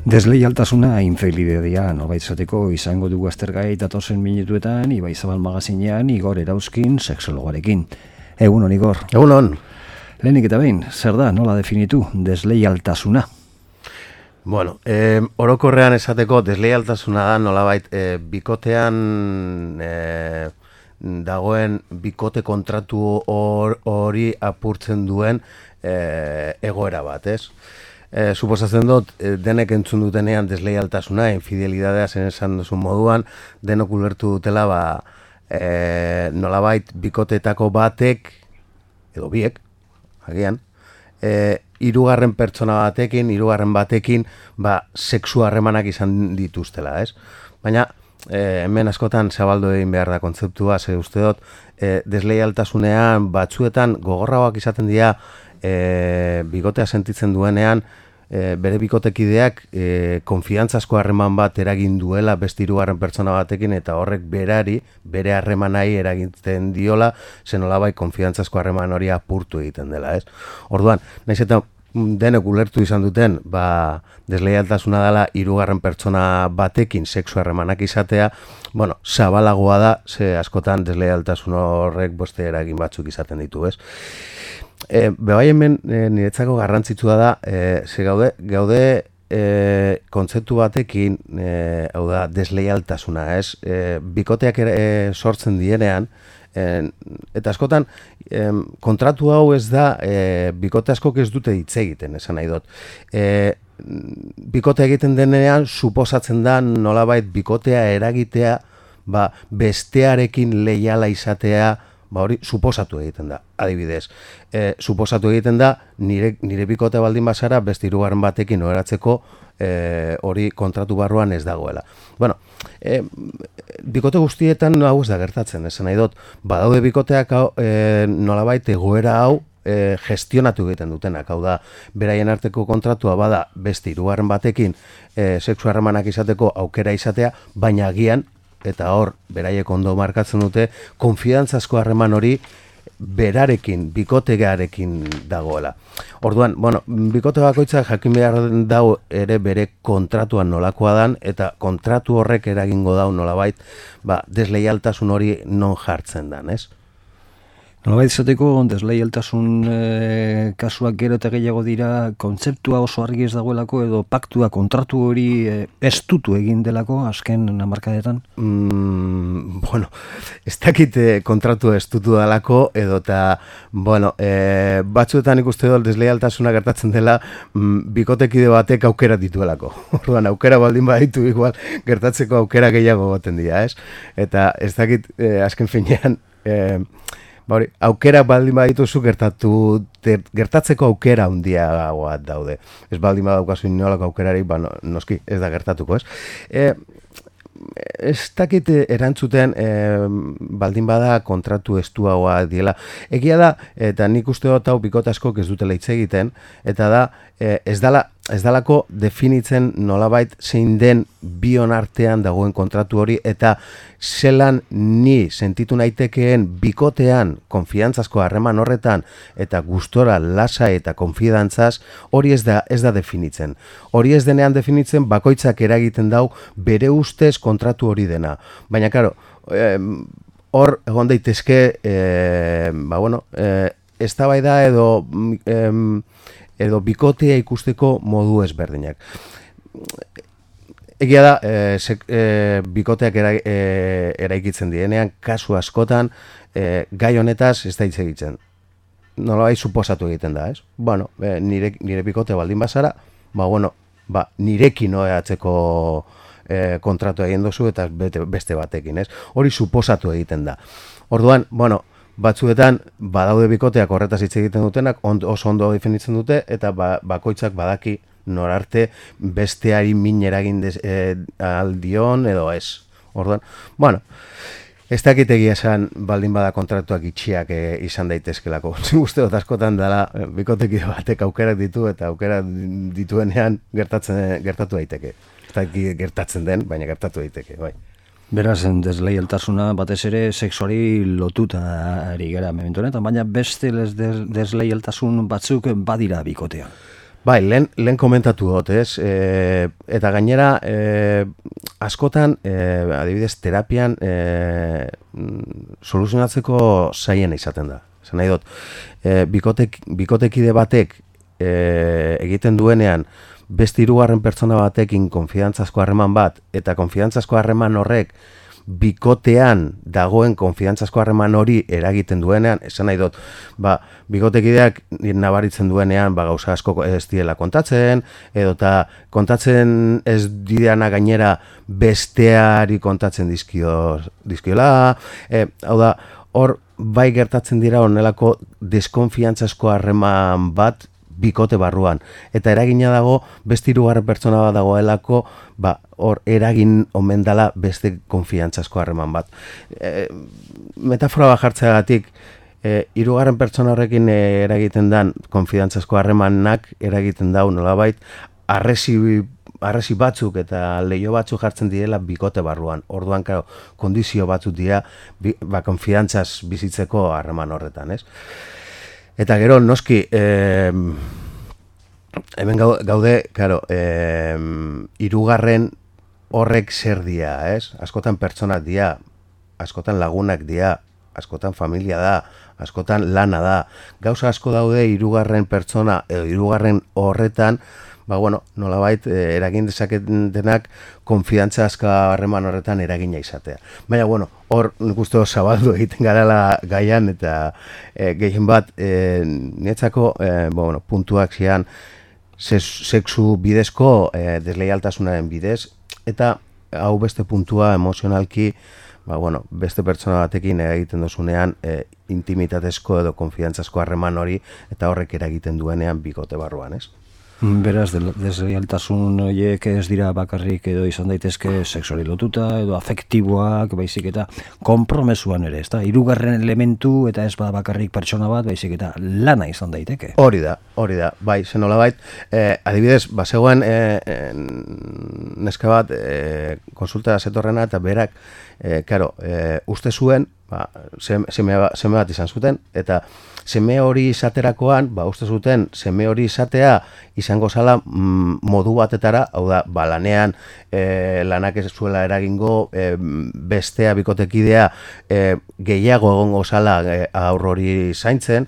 Desleialtasuna infidelitatea nolabait esateko izango dugu aztergai datozen minutuetan Ibai Zabal magazinean Igor Erauzkin sexologarekin. Egunon, Igor. Egunon. Lehenik eta behin, zer da, nola definitu desleialtasuna? Bueno, orokorrean esateko desleialtasuna da nolabait bikotean dagoen bikote kontratu hori apurtzen duen egoera bat, ez? Suposatzen dut, denek entzun dutenean desleialtasuna, infidelidadea zen esan duzun moduan, denok ulertu dutela, nolabait bikoteetako batek, edo biek, agian, hirugarren pertsona batekin, hirugarren batekin, sexu harremanak izan dituztela, ez? Baina, hemen askotan zabaldu egin behar da kontzeptua, ze uste dut, desleialtasunean batzuetan gogorragoak izaten dira bikotea sentitzen duenean, bere bikotekideak konfiantzazko harreman bat eragin duela beste hirugarren pertsona batekin eta horrek bere harremanai eragiten diola, zen nolabait konfiantzazko harreman hori apurtu egiten dela, ez? Orduan, nahiz eta denek ulertu izan duten, desleialtasuna dela hirugarren pertsona batekin sexu harremanak izatea, bueno, zabalagoa da, ze askotan desleialtasun horrek beste eragin batzuk izaten ditu, ez? Bebai hemen niretzako garrantzitsua da, ze gaude kontzeptu batekin, hau da, desleialtasuna, ez? Bikoteak sortzen dienean, eta askotan kontratu hau ez da, bikote askok ez dute hitz egiten, esan nahi dut. Bikote egiten denean, suposatzen da nolabait bikotea eragitea, bestearekin leiala izatea, hori suposatu egiten da, adibidez. Suposatu egiten da, nire bikote baldin bazara, beste hirugarren batekin oheratzeko hori kontratu barruan ez dagoela. Bueno, bikote guztietan hau ez da gertatzen, esan nahi dut, badaude bikoteak nolabait egoera hau gestionatu egiten dutenak, hau da, beraien arteko kontratua bada beste hirugarren batekin sexu harremanak izateko aukera izatea, baina agian, eta hor, beraiek ondo markatzen dute, konfiantzazko harreman hori berarekin, bikotegarekin dagoela. Orduan, bueno, bikote bakoitzak jakin behar dau ere bere kontratuan nolakoa dan, eta kontratu horrek eragingo dau nolabait, desleialtasun hori non jartzen dan, ez? Nolabait izateko, desleialtasun kasuak gero eta gehiago dira, kontzeptua oso argi ez dagoelako edo paktua kontratu hori estutu egin delako azken hamarkadetan? Bueno, ez dakit kontratu estutu delako edo eta, bueno, batzuetan ikuste dut desleialtasuna gertatzen dela bikotekide batek aukera dituelako. Orduan, aukera baldin baditu igual gertatzeko aukera gehiago goten dira, ez? Eta ez dakit azken finean, aukera baldin badituzu gertatzeko aukera handiagoa daude. Ez baldin badaukazu inolako aukerarik, noski ez da gertatuko, ez? Ez dakit erantzuten baldin bada kontratu estuagoa diela. Egia da, eta nik uste dut hau bikote askok ez dutela hitz egiten, eta da, ez dalako definitzen nolabait zein den bion artean dagoen kontratu hori, eta zelan ni sentitu naitekeen bikotean konfiantzazko harreman horretan, eta gustora, lasa eta konfidantzaz, hori ez da definitzen. Hori ez denean definitzen bakoitzak eragiten dau bere ustez kontratu hori dena. Baina, karo, hor egon daitezke, eztabaida edo bikotea ikusteko modu ezberdinak. Egia da, bikoteak eraikitzen dienean, kasu askotan, gai honetaz ez da hitz egiten. Nolabait suposatu egiten da, ez? Bueno, nire bikote baldin bazara, nirekin oheatzeko kontratu egin duzu eta beste batekin, ez? Hori suposatu egiten da. Orduan, bueno, batzuetan badaude bikoteak horretaz hitz egiten dutenak, oso ondo definitzen dute, eta bakoitzak badaki norarte besteari min eragin aldion edo ez. Orduan, bueno, ez dakit egia esan baldin bada kontratuak itxiak izan daitezkelako. Uste dut askotan dela bikotekide batek aukerak ditu eta aukera dituenean gertatu daiteke. Ez dakit gertatzen den, baina gertatu daiteke, bai. Beraz, desleialtasuna batez ere sexuari lotuta ari gara momentu honetan, baina beste desleialtasun batzuk badira bikotean. Bai, lehen komentatu dut, ez? Eta gainera, askotan, adibidez, terapian soluzionatzeko zaien izaten da. Zer nahi dut, bikotekide batek egiten duenean, beste hirugarren pertsona batekin konfidantzazko harreman bat, eta konfidantzazko harreman horrek bikotean dagoen konfidantzazko harreman hori eragiten duenean, esan nahi dut, bikotekideak nabaritzen duenean gauza asko ez diela kontatzen, edota kontatzen ez dideana gainera besteari kontatzen dizkiola, hau da, hor bai gertatzen dira honelako deskonfiantzazko harreman bat bikote barruan. Eta eragina dago, beste hirugarren pertsona bat dagoelako, hor eragin omen dela beste konfiantzazko harreman bat. Metafora bat jartzeagatik, hirugarren pertsona horrekin eragiten dan konfiantzazko harremanak eragiten dau nolabait, arresi batzuk eta leio batzuk jartzen direla bikote barruan. Orduan, kondizio batzuk dira konfiantzaz bizitzeko harreman horretan, ez? Eta gero, noski, hemen gaude, hirugarren horrek zer dia, ez? Askotan pertsonak dia, askotan lagunak dia, askotan familia da, askotan lana da. Gauza asko daude hirugarren pertsona edo hirugarren horretan, nolabait eragin dezaketenak konfidantza azka harreman horretan eragina izatea. Baina, hor nik uste zabaldu egiten garala gaian eta gehien bat niretzako puntuak zian sexu bidezko desleialtasunaren bidez eta hau beste puntua emozionalki beste pertsona batekin egiten dozunean intimitatezko edo konfidantzazko harreman hori eta horrek eragiten duenean bikote barruan, ez? Beraz, desleialtasun horiek ez dira bakarrik edo izan daitezke sexuari lotuta edo afektiboak, baizik eta konpromesuan ere, ez da? Hirugarren elementu eta ez bakarrik pertsona bat, baizik eta lana izan daiteke. Hori da, bai, zenolabait, adibidez, bazegoen neska bat konsulta zetorrena eta berak, uste zuen, seme bat izan zuten, eta seme hori izaterakoan, uste zuten, seme hori izatea izango zala modu batetara, hau da, lanean lanak ez zuela eragingo, bestea bikotekidea gehiago egongo zala aur hori zaintzen.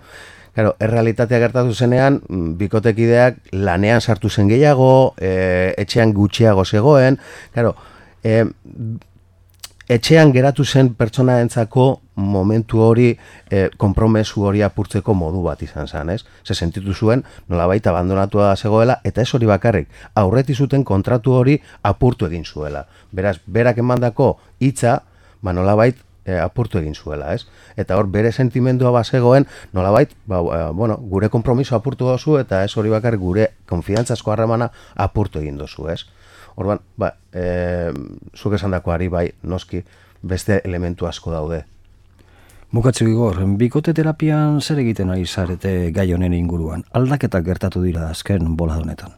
Errealitatea gertatu zenean, bikotekideak lanean sartu zen gehiago, etxean gutxiago zegoen, etxean geratu zen pertsonaentzako momentu hori konpromesu hori apurtzeko modu bat izan zen, ez? Ze sentitu zuen nolabait abandonatua zegoela eta ez hori bakarrik, aurreti zuten kontratu hori apurtu egin zuela. Beraz, berak emandako hitza, nolabait apurtu egin zuela, ez? Eta hor bere sentimendua bazegoen nolabait, gure konpromiso apurtu dozu eta ez hori bakarrik gure konfidantzazko harremana apurtu egin dozu, ez? Orduan, zuk esandakoari bai, noski, beste elementu asko daude. Bukatze Igor, bikote terapian zer egiten ari zarete gai honen inguruan? Aldaketak gertatu dira azken bolada honetan?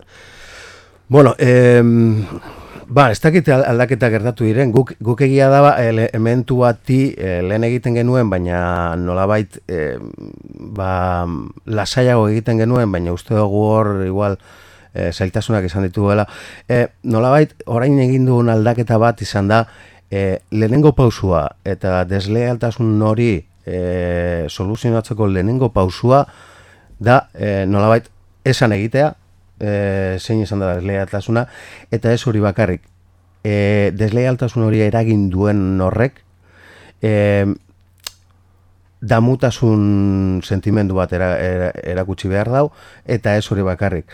Ez dakite aldaketak gertatu diren, guk egia da elementu bati lehen egiten genuen, baina nolabait lasaiago egiten genuen, baina uste dugu hor igual zailtasunak izan dituela. Nolabait, orain egin duen aldaketa bat izan da, lehenengo pausua eta deslealtasun hori soluzionatzeko lehenengo pausua da, nolabait, esan egitea, zein izan da deslealtasuna, eta ez hori bakarrik. Deslealtasun hori eragin duen horrek, damutasun sentimendu bat erakutsi behar dau, eta ez hori bakarrik.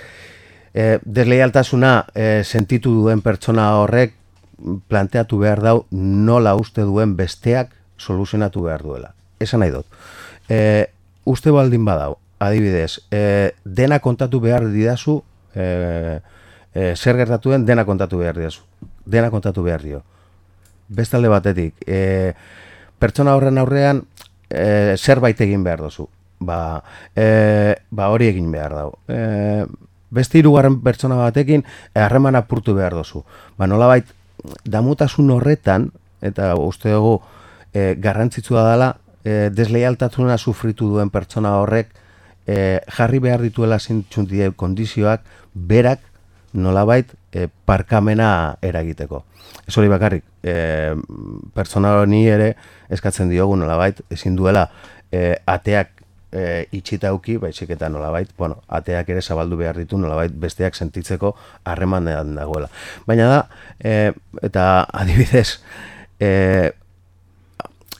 Desleialtasuna sentitu duen pertsona horrek planteatu behar dau nola uste duen besteak soluzionatu behar duela. Esan nahi dut. Uste baldin badau, adibidez, dena kontatu behar didazu, zer gertatu den, dena kontatu behar didazu. Dena kontatu behar dio. Bestalde batetik, pertsona horren aurrean zerbait egin behar dozu. Hori egin behar dau. Beste hirugarren pertsona batekin harreman apurtu behar dozu. Nolabait, damutasun horretan, eta uste dugu garrantzitsua dela, desleialtasuna sufritu duen pertsona horrek jarri behar dituela zintxuntie kondizioak berak nolabait parkamena eragiteko. Ez hori bakarrik, pertsona honi ere eskatzen diogu nolabait, ezin duela ateak itxitauki, baizik eta nolabait, bueno, ateak ere zabaldu behar ditu nolabait besteak sentitzeko harremanean dagoela. Baina da, eta adibidez,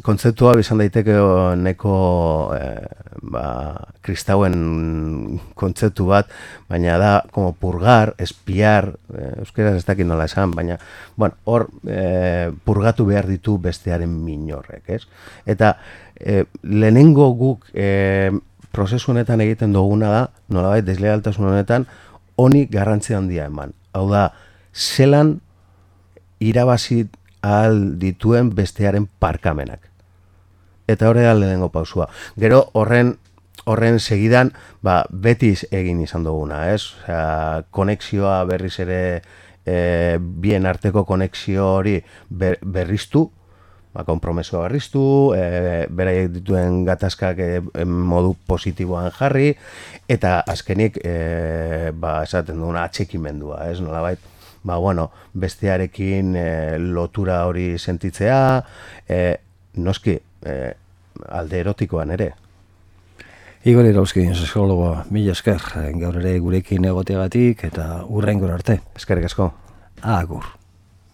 kontzeptua izan daiteke neko kristauen kontzeptu bat, baina da como purgar, espiar, euskeraz ez dakit nola esan, baina bueno, hor purgatu behar ditu bestearen minorrek, ez? Eta lehenengo guk prozesu honetan egiten duguna da, nolabait deslealtasun honetan, honi garrantzi handia eman. Hau da, zelan irabazi ahal dituen bestearen parkamenak. Eta hori da lehenengo pausua. Gero horren segidan betiz egin izan duguna, ez? Osea, konexioa berriz ere bien arteko konexio hori berriztu, konpromesoa berriztu, beraiek dituen gatazkak modu positiboan jarri, eta azkenik esaten duguna atxekimendua, ez? Nolabait, bueno, bestearekin lotura hori sentitzea, noski, alde erotikoan ere. Igor Irauzkin, psikologoa, mila esker, gaur ere gurekin egoteagatik eta hurrengora arte. Eskerrik asko. Agur.